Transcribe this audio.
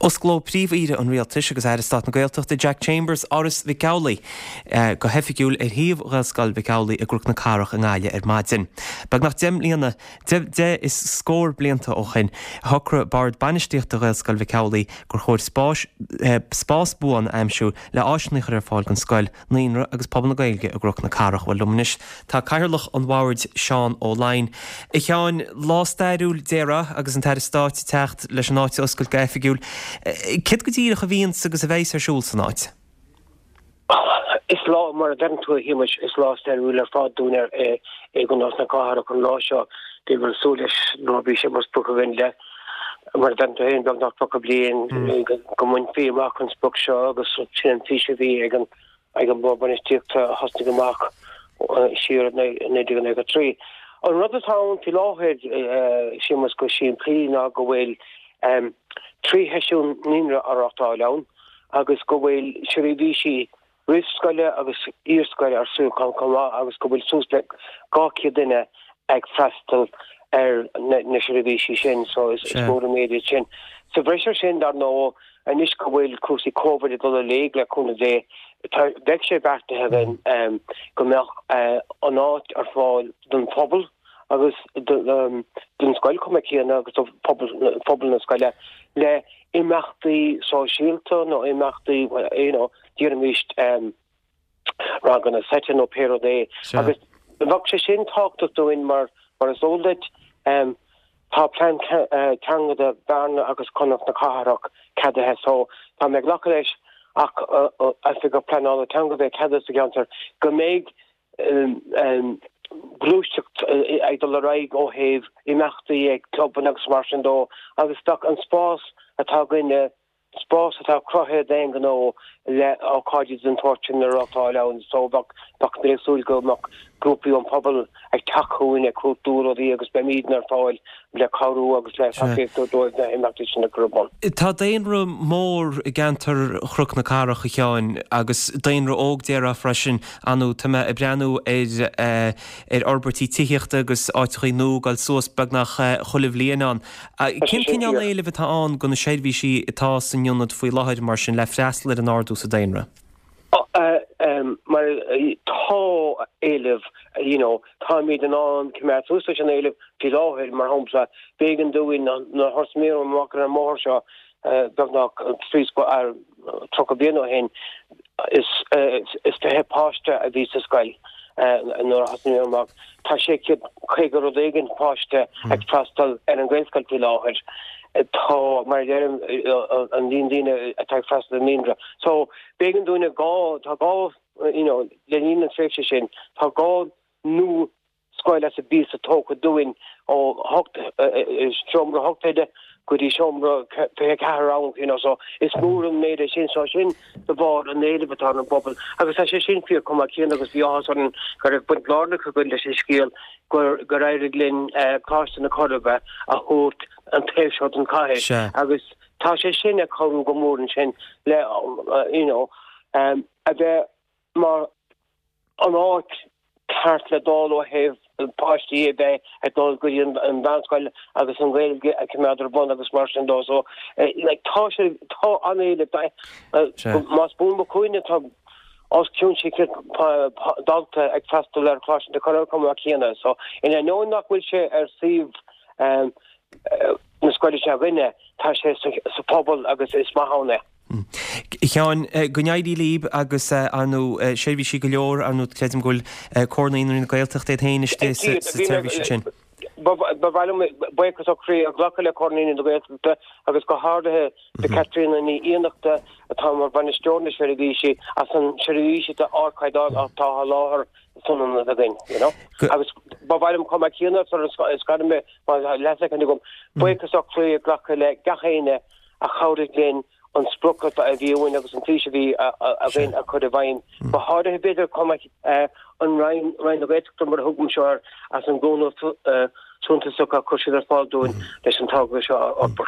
Osclóidh Príomh-Aoire an Rialtais agus Aire Stáit na Gaeltachta Jack Chambers Áras Mhic Amhlaigh go hoifigiúil ar shuíomh Ghaelscoil Mhic Amhlaigh i gCnoc na Cathrach i nGaillimh ar maidin. Beagnach 10 mbliana, 10 is scór blianta ó shin, shocraigh Bord Bainistíochta Ghaelscoil Mhic Amhlaigh gur chóir spáis, spás buan a aimsiú le áiseanna a chur ar fáil don scoil, naíonra agus pobal na Gaeilge i gCnoc na Cathrach. Bhuel, liom anois tá Cathaoirleach an Bhoird, Seán Ó Laighin. A Sheáin, lá stairiúil déarfá agus an tAire Stáit ag teacht leis an áit a oscailt go hoifigiúil. Céard go díreach a bhíonns agus a bheidhs ar siúl san áit? Is lá, mar a deireann tú a Shéamais, is lá stairiúil ar fad dúinn i gCnoc na Cathrach an lá seo. Bhíomar ag súil leis nó bhí sé mar sprioc againn le, mar a deireann tú féin, beagnach 30 bliain go mbainfí amach an sprioc seo agus sin an fís a bhí ag an ag an Bhord Bainistíochta a thosnaigh amach siar i 1993. An rud atá ann faoi láthair, Séamus, go simplí ná go bhfuil 3 sheisiún naíonra á reáchtáil ann agus go bhfuil seirbhísí roimh-scoile agus iar-scoile ar siúl chomh maith agus go bhfuil suas le 200 duine ag freastal ar na seirbhísí sin so is mór an méid é sin. Sa bhreis ar sin, dar ndóigh, anois go bhfuil cúrsaí Covid ag dul i léig le cúnamh Dé, tá, bheadh sé beartaithe againn go mbeadh an áit ar fáil don phobal agus don scoil chomh maith céanna agus do phobal na scoile le imeachtaí sóisialta nó imeachtaí, you know, déarfaimis ranganna seite nó pé rud é. Agus bheadh sé sin tábhachtach dúinn mar mar is eol duit tá plean teanga do Bhearna agus Cnoc na Cathrach ceadaithe so tá mé ag glacadh leis ach oifigeach pleanála teanga a bheith ceadaithe sa gceantar go mbeidh gluaiseacht ag dul ar aghaidh ó thaobh imeachtaí ag clubanna agus mar sin dó agus bheadh an spás atá againne spás atá cruthaithe d'aon ghnó le ócáidí den tsórt sin a reáchtáil ann so bheadh bheadh mé ag súil go mbeadh grúpaí ón phobal ag teacht chugainn ag cuartú rudaí agus beimidne ar fáil le cabhrú agus le tacaíocht a thabhairt dóibh na himeachtaí sin a chur ar bun. Tá daonra mór i gceantar Chnoc na Cathrach, a Sheáin, agus daonra óg déarfá freisin. Ar ndóigh, tá mé ag breathnú ar ar fhorbairtí tithíochta agus áiteachaí nua ag dul suas beagnach chuile bhliain ann. Cén cineál éilimh atá ann do na seirbhísí atá san ionad faoi láthair, mar sin, le freastal ar an ardú sa daonra? Mar tá éileamh, you know, táimid in ann coimeád suas leis an éileamh faoi láthair, mar shampla, b'éigean dúinn nuair a thosnaíomar amach ar an mbóthar seo beagnach 30 bliain ó shin, is 20 páiste a bhí sa scoil nuair a thosnaíomar amach. Tá 650 rud éigin páiste ag freastal ar an Ghaelscoil faoi láthair. Tá, mar a deirim, an líon daoine atá ag freastal ar an naíonra. So, b'éigean dúinne gá, tá gá, you know, le linn na tréimhse sin, tá gá nua scoil as an bpíosa tógtha dúinn ó seomra 8 oide go dtí seomra 24 rang, you know, so is mór an méid é sin, so sin de bharr an éilimh atá ar an bpobal agus tá sé sin fíor chomh maith céanna agus bhí áthas orainn go raibh baint lárnach againn leis an scéal gur gur éirigh linn Coláiste na Coiribe a thabhairt an taobh seo den chathair agus tá sé sin ag cabhrú go mór ansin le you know a bheith mar an áit ceart le dul ó thaobh páistí a bheith ag dul go dtí an mheánscoil agus an Ghaeilge a choimeád ar bun agus mar sin dó. So like tá sé tá an-éileamh más buan mo chuimhne tá os cionn 600 dalta ag freastal ar Choláiste na Coiribe chomh maith céanna. So in ainneoin nach bhfuil sé ar suíomh na scoile seo againne tá sé sa phobal agus is maith ann é. A Sheáin, go n-éirí libh agus ar ndóigh seirbhísí go leor, ar ndóigh creidim go bhfuil Comhar Naíonraí na Gaeltachta iad féin istigh sa tseirbhís ansin. Ba mhaith liom buíochas ó chroí a ghlacadh le Comhar Naíonraí na Gaeltachta agus go háirithe do Caitríona Ní Fhiannachta atá mar bhainisteoir na seirbhísí as an seirbhís d'ardchaighdeán atá á sholáthar san ionad againn, you know. Agus ba mhaith liom chomh maith céanna sula scarann mé, má tá leathshoicind agam, buíochas ó chroí a ghlacadh le gach éinne a chabhraigh linn an sprioc a bhí uainn agus an fís a bhí againn a chur i bhfeidhm. Go háirithe, b'fhéidir, chomh maith, an Roinn, Roinn na Gaeltachta mar a thugaimse air, as an gcúnamh suntasach a chuir siad ar fáil dúinn leis an togra seo a fhorbairt.